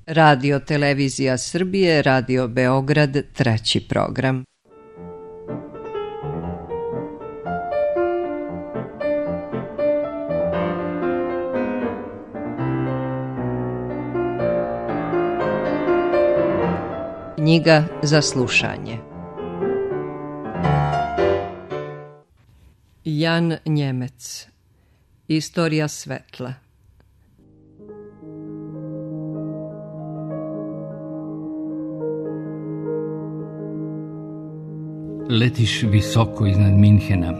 Radio Televizija Srbije, Radio Beograd, treći program. Knjiga za slušanje. Jan Njemec. Istorija svetla. Letiš visoko iznad Minhena.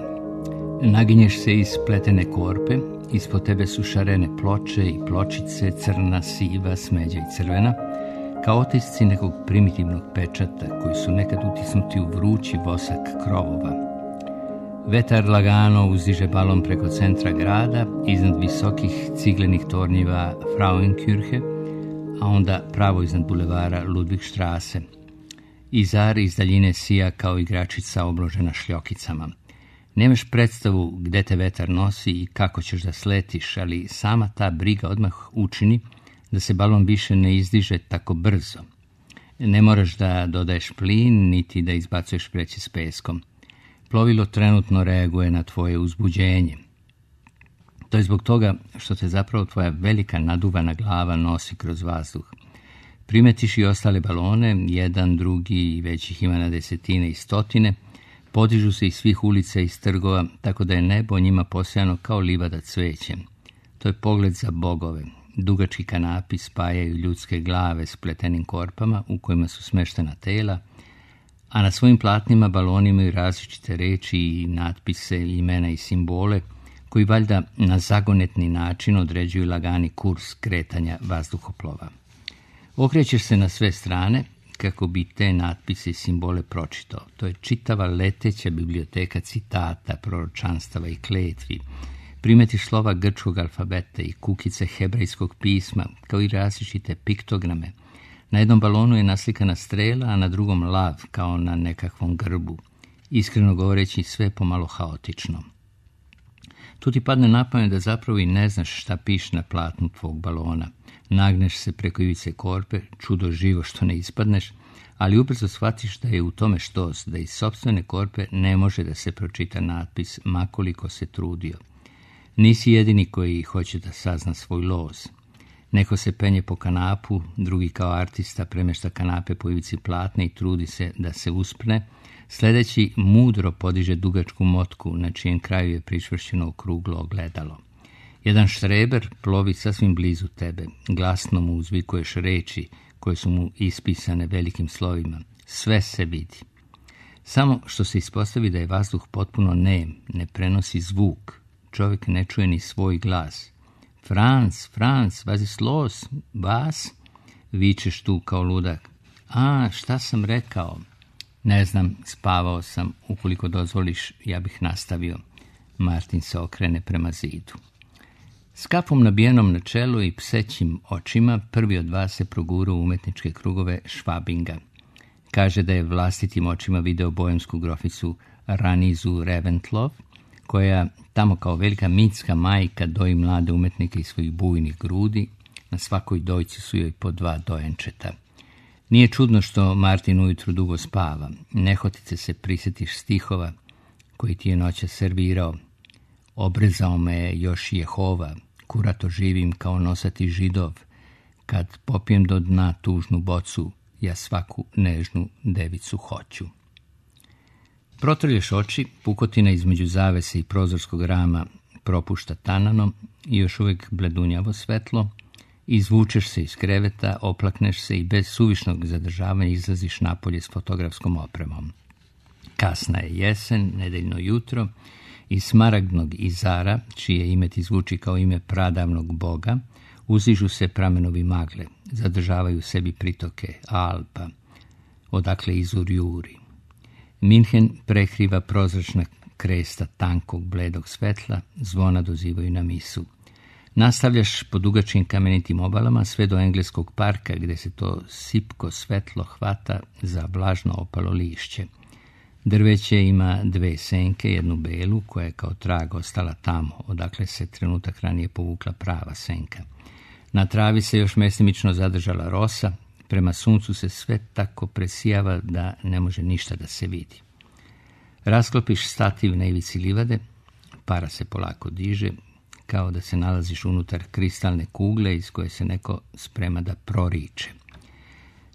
Naginješ se iz pletene korpe, ispod tebe su šarene ploče i pločice, crna, siva, smeđa i crvena, kao otisci nekog primitivnog pečata koji su nekad utisnuti u vrući vosak krovova. Vetar lagano uzdiže balon preko centra grada, iznad visokih ciglenih tornjiva Frauenkirche, a onda pravo iznad bulevara Ludwigstrasse. Izar iz daljine sija kao igračica obložena šljokicama. Nemaš predstavu gde te vetar nosi i kako ćeš da sletiš, ali sama ta briga odmah učini da se balon više ne izdiže tako brzo. Ne moraš da dodaješ plin, niti da izbacuješ vreće s peskom. Plovilo trenutno reaguje na tvoje uzbuđenje. To je zbog toga što te zapravo tvoja velika naduvana glava nosi kroz vazduh. Primetiš i ostale balone, jedan, drugi i već ih ima na desetine i stotine, podižu se iz svih ulica i trgova, tako da je nebo njima posejano kao livada cvećem. To je pogled za bogove. Dugački kanapi spajaju ljudske glave s pletenim korpama u kojima su smeštena tela, a na svojim platnima baloni imaju različite reči i natpise, imena i simbole, koji valjda na zagonetni način određuju lagani kurs kretanja vazduhoplova. Okrećeš se na sve strane kako bi te natpise i simbole pročitao. To je čitava leteća biblioteka citata, proročanstava i kletvi. Primetiš slova grčkog alfabeta i kukice hebrejskog pisma, kao i različite piktograme. Na jednom balonu je naslikana strela, a na drugom lav, kao na nekakvom grbu. Iskreno govoreći, sve pomalo haotično. Tu ti padne na pamet da zapravo i ne znaš šta piše na platnu tvog balona. Nagneš se preko ivice korpe, čudo živo što ne ispadneš, ali ubrzo shvatiš da je u tome štos, da iz sopstvene korpe ne može da se pročita natpis, makoliko se trudio. Nisi jedini koji hoće da sazna svoj loz. Neko se penje po kanapu, drugi kao artista premešta kanape po ivici platne i trudi se da se uspne, sledeći mudro podiže dugačku motku na čijem kraju je pričvršćeno okruglo ogledalo. Jedan štreber plovi sasvim blizu tebe, glasno mu uzvikuješ reči koje su mu ispisane velikim slovima. Sve se vidi. Samo što se ispostavi da je vazduh potpuno nem, ne prenosi zvuk. Čovjek ne čuje ni svoj glas. Franz, was ist los? Vas? Vičeš tu kao ludak. A, šta sam rekao? Ne znam, spavao sam. Ukoliko dozvoliš, ja bih nastavio. Martin se okrene prema zidu. S kapom nabijenom na čelu i psećim očima, prvi od vas se progura u umetničke krugove Švabinga. Kaže da je vlastitim očima video bojemsku groficu Ranizu Reventlow, koja tamo kao velika mitska majka doji mlade umetnike iz svojih bujnih grudi, na svakoj dojci su joj po 2 dojenčeta. Nije čudno što Martin ujutru dugo spava, nehotice se prisjetiš stihova koji ti je noća servirao. Obrezao me je još Jehova, kurato živim kao nosati židov, kad popijem do dna tužnu bocu, ja svaku nežnu devicu hoću. Protrlješ oči, pukotina između zavese i prozorskog rama propušta tananom i još uvijek bledunjavo svetlo, izvučeš se iz kreveta, oplakneš se i bez suvišnog zadržavanja izlaziš napolje s fotografskom opremom. Kasna je jesen, nedeljno jutro, iz smaragdnog Izara, čije ime ti zvuči kao ime pradavnog boga, uzižu se pramenovi magle, zadržavaju sebi pritoke Alpa, odakle Izur juri. Minhen prekriva prozračna kresta tankog bledog svetla, zvona dozivaju na misu. Nastavljaš po dugačkim kamenitim obalama sve do engleskog parka gdje se to sipko svetlo hvata za vlažno opalo lišće. Drveće ima 2 senke, jednu belu koja je kao trag ostala tamo, odakle se trenutak ranije povukla prava senka. Na travi se još mestimično zadržala rosa, prema suncu se sve tako presijava da ne može ništa da se vidi. Rasklopiš stativ na ivici livade, para se polako diže, kao da se nalaziš unutar kristalne kugle iz koje se neko sprema da proriče.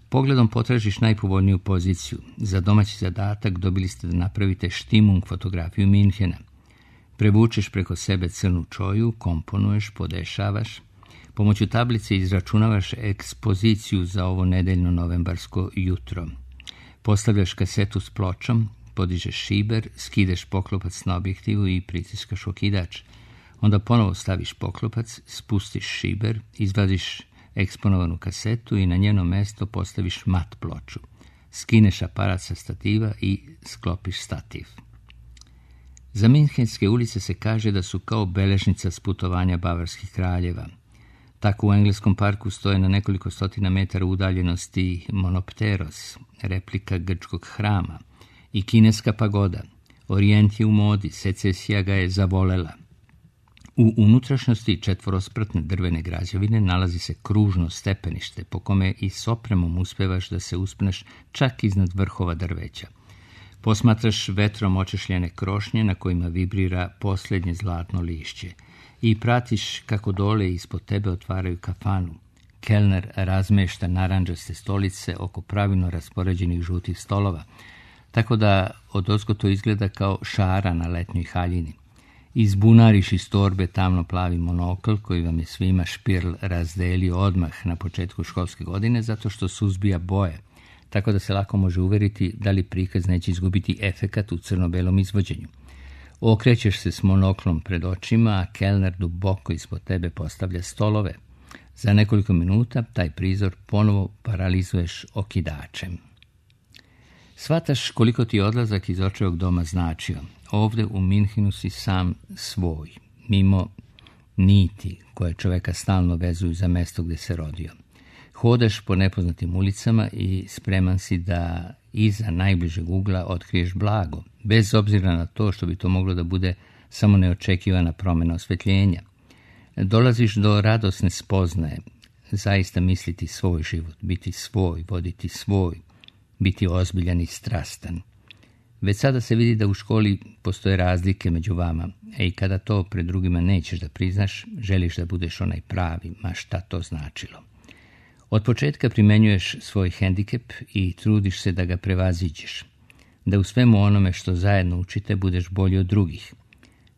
Pogledom potražiš najpovoljniju poziciju. Za domaći zadatak dobili ste da napravite štimung fotografiju Minhena. Prevučeš preko sebe crnu čoju, komponuješ, podešavaš. Pomoću tablice izračunavaš ekspoziciju za ovo nedeljno novembarsko jutro. Postavljaš kasetu s pločom, podižeš šiber, skideš poklopac na objektivu i pritiskaš okidač. Onda ponovo staviš poklopac, spustiš šiber, izvadiš eksponovanu kasetu i na njeno mesto postaviš mat ploču. Skineš aparat sa stativa i sklopiš stativ. Za Minhenske ulice se kaže da su kao beležnica s putovanja bavarskih kraljeva. Tako u engleskom parku stoje na nekoliko stotina metara udaljenosti Monopteros, replika grčkog hrama, i kineska pagoda. Orijent je u modi, secesija ga je zavolela. U unutrašnjosti četvorospratne drvene građevine nalazi se kružno stepenište po kome i s opremom uspevaš da se uspneš čak iznad vrhova drveća. Posmatraš vetrom očešljene krošnje na kojima vibrira posljednje zlatno lišće i pratiš kako dole ispod tebe otvaraju kafanu. Kelner razmešta narandžaste stolice oko pravilno raspoređenih žutih stolova, tako da odozgo to izgleda kao šara na letnjoj haljini. Izbunariš iz torbe tamno plavi monokl koji vam je svima Špirl razdelio odmah na početku školske godine zato što suzbija boje, tako da se lako može uveriti da li prikaz neće izgubiti efekat u crno-belom izvođenju. Okrećeš se s monoklom pred očima, a kelner duboko ispod tebe postavlja stolove. Za nekoliko minuta taj prizor ponovo paralizuješ okidačem. Shvataš koliko ti odlazak iz očevog doma značio. Ovde u Minhenu si sam svoj, mimo niti koje čoveka stalno vezuju za mesto gde se rodio. Hodaš po nepoznatim ulicama i spreman si da iza najbližeg ugla otkriješ blago, bez obzira na to što bi to moglo da bude samo neočekivana promjena osvetljenja. Dolaziš do radosne spoznaje, zaista misliti svoj život, biti svoj, voditi svoj, biti ozbiljan i strastan. Već sada se vidi da u školi postoje razlike među vama, i kada to pred drugima nećeš da priznaš, želiš da budeš onaj pravi, ma šta to značilo. Od početka primenjuješ svoj hendikep i trudiš se da ga prevaziđeš, da u svemu onome što zajedno učite budeš bolji od drugih.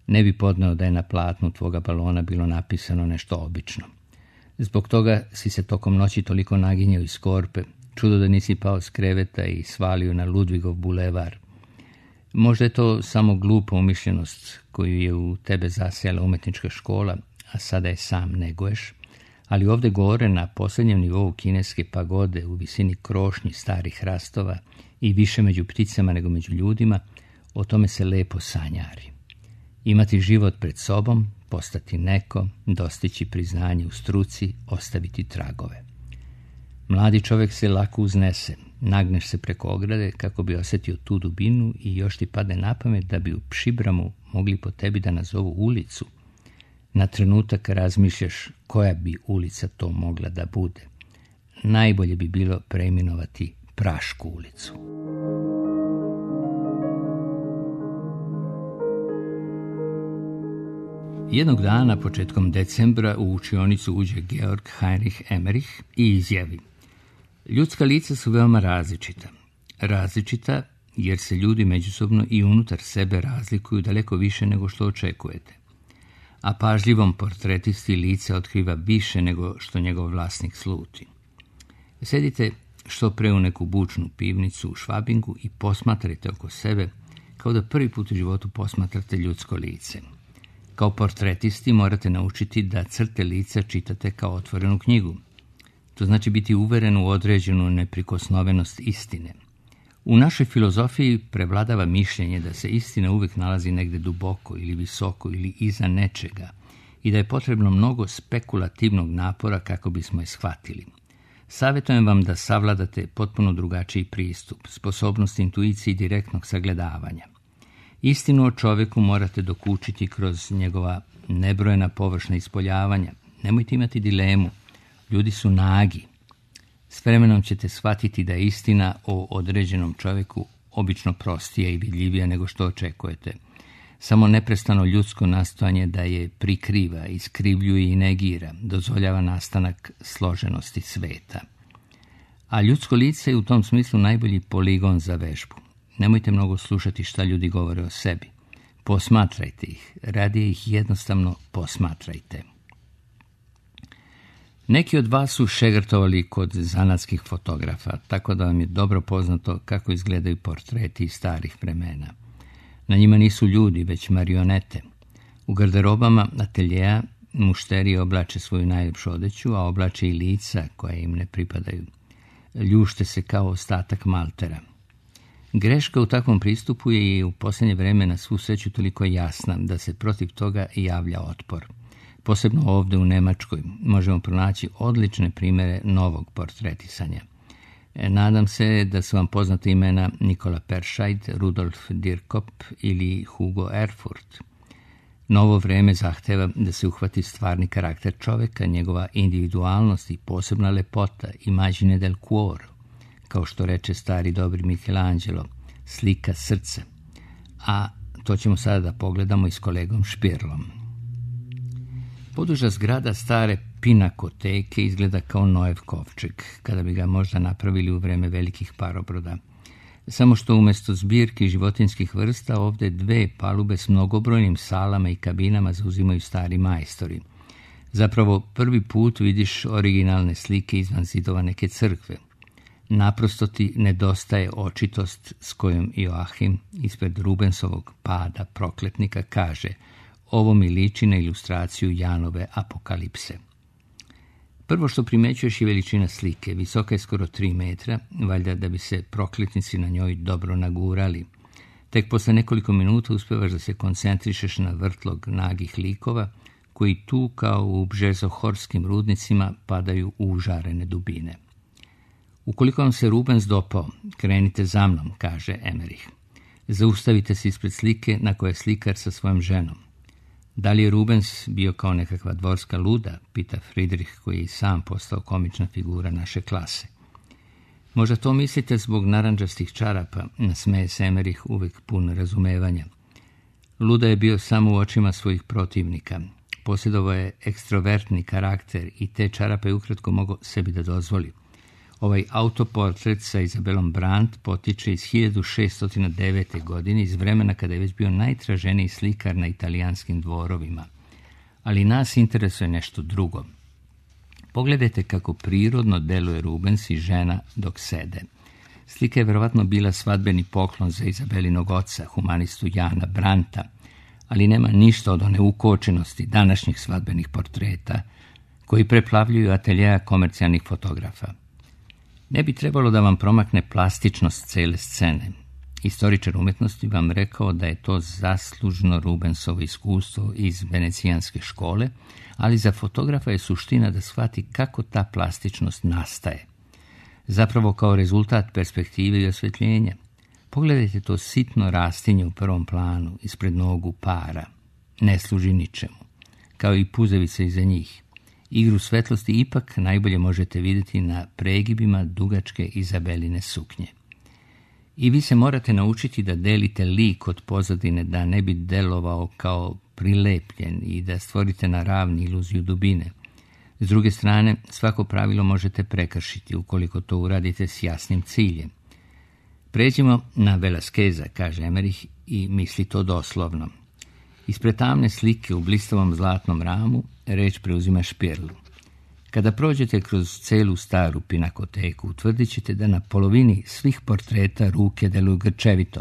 Ne bi podneo da je na platnu tvoga balona bilo napisano nešto obično. Zbog toga si se tokom noći toliko naginjao iz korpe, čudo da nisi pao s kreveta i svalio na Ludvigov bulevar. Možda je to samo glupa umišljenost koju je u tebe zasijala umetnička škola, a sada je sam neguješ, ali ovde gore na posljednjem nivou kineske pagode u visini krošnji starih hrastova i više među pticama nego među ljudima, o tome se lepo sanjari. Imati život pred sobom, postati neko, dostići priznanje u struci, ostaviti tragove. Mladi čovjek se lako uznese, nagneš se preko ograde kako bi osjetio tu dubinu i još ti padne na pamet da bi u Pšibramu mogli po tebi da nazovu ulicu. Na trenutak razmišljaš koja bi ulica to mogla da bude. Najbolje bi bilo preimenovati Prašku ulicu. Jednog dana, početkom decembra, u učionicu uđe Georg Heinrich Emmerich i izjavi: ljudska lica su veoma različita. Različita jer se ljudi međusobno i unutar sebe razlikuju daleko više nego što očekujete. A pažljivom portretisti lice otkriva više nego što njegov vlasnik sluti. Sedite što pre u neku bučnu pivnicu u Švabingu i posmatrajte oko sebe kao da prvi put u životu posmatrate ljudsko lice. Kao portretisti morate naučiti da crte lica čitate kao otvorenu knjigu. To znači biti uveren u određenu neprikosnovenost istine. U našoj filozofiji prevladava mišljenje da se istina uvijek nalazi negde duboko ili visoko ili iza nečega i da je potrebno mnogo spekulativnog napora kako bismo je shvatili. Savjetujem vam da savladate potpuno drugačiji pristup, sposobnost intuicije i direktnog sagledavanja. Istinu o čovjeku morate dokučiti kroz njegova nebrojena površna ispoljavanja. Nemojte imati dilemu, Ljudi su nagi. S vremenom ćete shvatiti da je istina o određenom čovjeku obično prostija i vidljivija nego što očekujete. Samo neprestano ljudsko nastojanje da je prikriva, iskrivljuje i negira, dozvoljava nastanak složenosti sveta. A ljudsko lice je u tom smislu najbolji poligon za vežbu. Nemojte mnogo slušati šta ljudi govore o sebi. Posmatrajte ih, radije ih jednostavno posmatrajte. Neki od vas su šegrtovali kod zanatskih fotografa, tako da vam je dobro poznato kako izgledaju portreti iz starih vremena. Na njima nisu ljudi, već marionete. U garderobama ateljeja mušterije oblače svoju najljepšu odeću, a oblače i lica koja im ne pripadaju. Ljušte se kao ostatak maltera. Greška u takvom pristupu je i u posljednje vreme na svu sreću toliko jasna da se protiv toga javlja otpor. Posebno ovdje u Njemačkoj možemo pronaći odlične primjere novog portretisanja. Nadam se da su vam poznate imena Nikola Perscheid, Rudolf Dirkop ili Hugo Erfurt. Novo vreme zahteva da se uhvati stvarni karakter čovjeka, njegova individualnost i posebna lepota, imagine del cuore, kao što reče stari dobri Michelangelo, slika srca. A to ćemo sada da pogledamo i s kolegom Špirlom. Poduža zgrada stare pinakoteke izgleda kao Noev kovčeg, kada bi ga možda napravili u vreme velikih parobroda. Samo što umjesto zbirki životinskih vrsta ovdje 2 palube s mnogobrojnim salama i kabinama zauzimaju stari majstori. Zapravo prvi put vidiš originalne slike izvan zidova neke crkve. Naprosto ti nedostaje očitost s kojom Joachim ispred Rubensovog Pada prokletnika kaže: ovo mi liči na ilustraciju Janove apokalipse. Prvo što primećuješ je veličina slike, visoka je skoro 3 metra, valjda da bi se prokletnici na njoj dobro nagurali. Tek posle nekoliko minuta uspevaš da se koncentrišeš na vrtlog nagih likova, koji tu kao u bžezohorskim rudnicima padaju u užarene dubine. Ukoliko vam se Rubens dopao, krenite za mnom, kaže Emmerich. Zaustavite se ispred slike na kojoj je slikar sa svojom ženom. Da li je Rubens bio kao nekakva dvorska luda, pita Friedrich, koji je i sam postao komična figura naše klase. Možda to mislite zbog narandžastih čarapa, nasmeje se Emmerich uvijek pun razumevanja. Luda je bio samo u očima svojih protivnika. Posjedovao je ekstrovertni karakter i te čarape ukratko mogao sebi da dozvoli. Ovaj autoportret sa Izabelom Brandt potiče iz 1609. godine, iz vremena kada je već bio najtraženiji slikar na italijanskim dvorovima. Ali nas interesuje nešto drugo. Pogledajte kako prirodno deluje Rubens i žena dok sede. Slika je vjerovatno bila svadbeni poklon za Izabelinog oca, humanistu Jana Brandta, ali nema ništa od one ukočenosti današnjih svadbenih portreta koji preplavljuju ateljeja komercijalnih fotografa. Ne bi trebalo da vam promakne plastičnost cele scene. Istoričar umjetnosti vam rekao da je to zaslužno Rubensovo iskustvo iz venecijanske škole, ali za fotografa je suština da shvati kako ta plastičnost nastaje. Zapravo kao rezultat perspektive i osvjetljenja. Pogledajte to sitno rastinje u prvom planu, ispred nogu para. Ne služi ničemu. Kao i puzevice iza njih. Igru svetlosti ipak najbolje možete vidjeti na pregibima dugačke Izabeline suknje. I vi se morate naučiti da delite lik od pozadine, da ne bi delovao kao prilepljen i da stvorite na ravni iluziju dubine. S druge strane, svako pravilo možete prekršiti ukoliko to uradite s jasnim ciljem. Pređimo na Velasqueza, kaže Emmerich, i misli to doslovno. Ispred tamne slike u blistavom zlatnom ramu reč preuzima Špirlu. Kada prođete kroz celu staru pinakoteku, utvrdit ćete da na polovini svih portreta ruke deluju grčevito.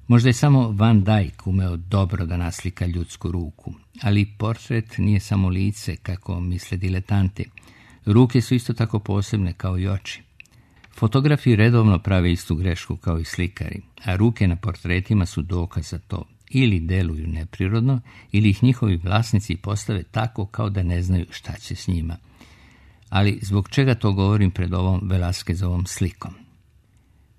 Možda je samo Van Dyck umeo dobro da naslika ljudsku ruku, ali portret nije samo lice, kako misle diletanti. Ruke su isto tako posebne kao i oči. Fotografi redovno prave istu grešku kao i slikari, a ruke na portretima su dokaz za to. Ili deluju neprirodno, ili ih njihovi vlasnici postave tako kao da ne znaju šta će s njima. Ali zbog čega to govorim pred ovom Velasquezovom slikom?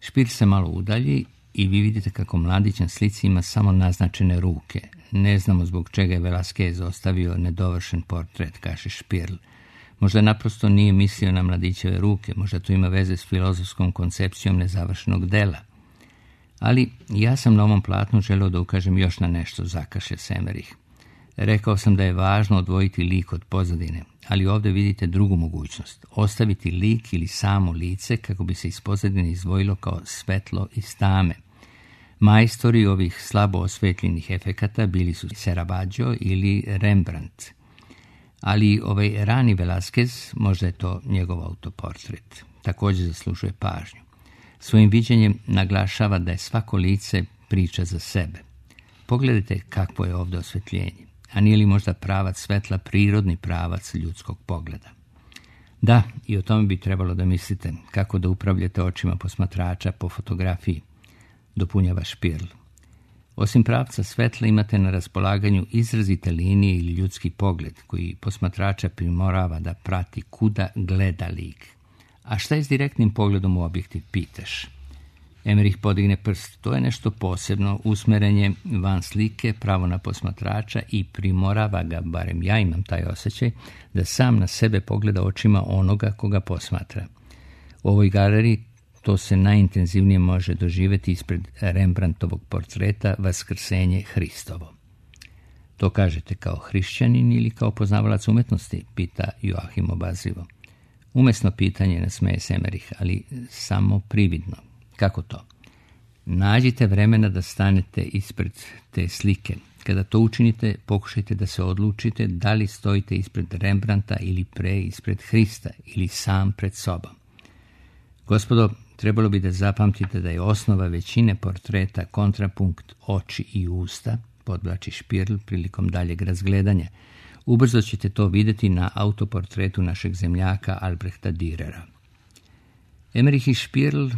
Špir se malo udalji i vi vidite kako mladić na slici ima samo naznačene ruke. Ne znamo zbog čega je Velasquez ostavio nedovršen portret, kaže Špirl. Možda naprosto nije mislio na mladićeve ruke, možda to ima veze s filozofskom koncepcijom nezavršenog dela. Ali ja sam na ovom platnu želeo da ukažem još na nešto, zakašlje se Emerich. Rekao sam da je važno odvojiti lik od pozadine, ali ovdje vidite drugu mogućnost. Ostaviti lik ili samo lice kako bi se iz pozadine izdvojilo kao svetlo iz tame. Majstori ovih slabo osvetljenih efekata bili su Caravaggio ili Rembrandt. Ali ovaj rani Velázquez, možda je to njegov autoportret, također zaslužuje pažnju. Svojim viđenjem naglašava da je svako lice priča za sebe. Pogledajte kakvo je ovdje osvetljenje, a nije li možda pravac svetla prirodni pravac ljudskog pogleda? Da, i o tome bi trebalo da mislite, kako da upravljate očima posmatrača po fotografiji, dopunjava Špirl. Osim pravca svetla imate na raspolaganju izrazite linije ili ljudski pogled koji posmatrača primorava da prati kuda gleda lik. A šta je s direktnim pogledom u objektiv, pitaš? Emerich podigne prst. To je nešto posebno, usmerenje van slike, pravo na posmatrača i primorava ga, barem ja imam taj osjećaj, da sam na sebe pogleda očima onoga koga posmatra. U ovoj galeriji to se najintenzivnije može doživjeti ispred Rembrandtovog portreta Vaskrsenje Hristovo. To kažete kao hrišćanin ili kao poznavalac umetnosti, pita Joachim obazrivo. Umesno pitanje, nasmeje se Emerich, ali samo prividno. Kako to? Nađite vremena da stanete ispred te slike. Kada to učinite, pokušajte da se odlučite da li stojite ispred Rembrandta ili ispred Hrista ili sam pred sobom. Gospodo, trebalo bi da zapamtite da je osnova većine portreta kontrapunkt oči i usta, podvlači Špirl prilikom daljeg razgledanja. Ubrzo ćete to vidjeti na autoportretu našeg zemljaka Albrehta Dürera. Emerich i Špirl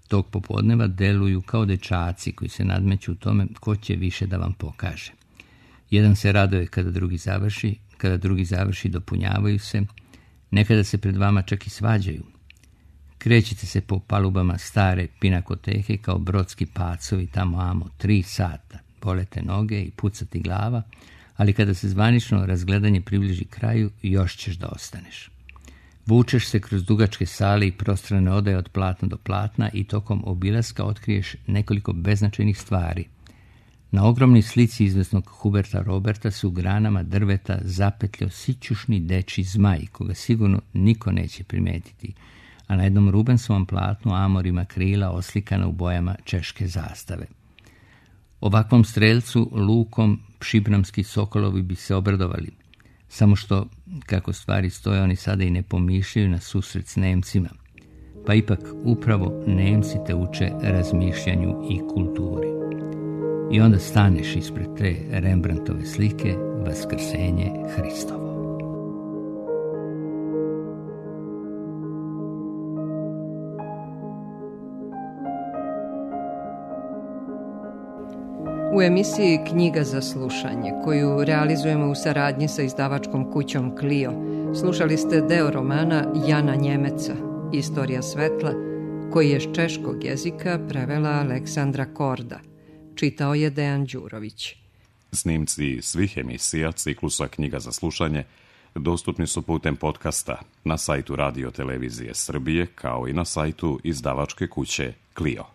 tog popodneva deluju kao dečaci koji se nadmeću u tome ko će više da vam pokaže. Jedan se raduje kada drugi završi dopunjavaju se, nekada se pred vama čak i svađaju. Krećite se po palubama stare pinakoteke kao brodski pacovi tamo amo 3 sata, bolete noge i pucati glava, ali kada se zvanično razgledanje približi kraju, još ćeš da ostaneš. Vučeš se kroz dugačke sale i prostrane odaje od platna do platna i tokom obilaska otkriješ nekoliko beznačajnih stvari. Na ogromnoj slici izvesnog Huberta Roberta su u granama drveta zapetljao sićušni dečji zmaj, koga sigurno niko neće primetiti, a na jednom Rubensovom platnu Amor ima krila oslikana u bojama češke zastave. Ovakvom strelcu lukom šibramski sokolovi bi se obradovali, samo što, kako stvari stoje, oni sada i ne pomišljaju na susret s Nemcima. Pa ipak upravo Nemci te uče razmišljanju i kulturi. I onda staneš ispred te Rembrandtove slike Vaskrsenje Hristovo. U emisiji Knjiga za slušanje, koju realizujemo u saradnji sa izdavačkom kućom Clio, slušali ste deo romana Jana Njemeca, Istorija svetla, koji je s češkog jezika prevela Aleksandra Korda. Čitao je Dejan Đurović. Snimci svih emisija ciklusa Knjiga za slušanje dostupni su putem podcasta na sajtu Radio Televizije Srbije, kao i na sajtu izdavačke kuće Clio.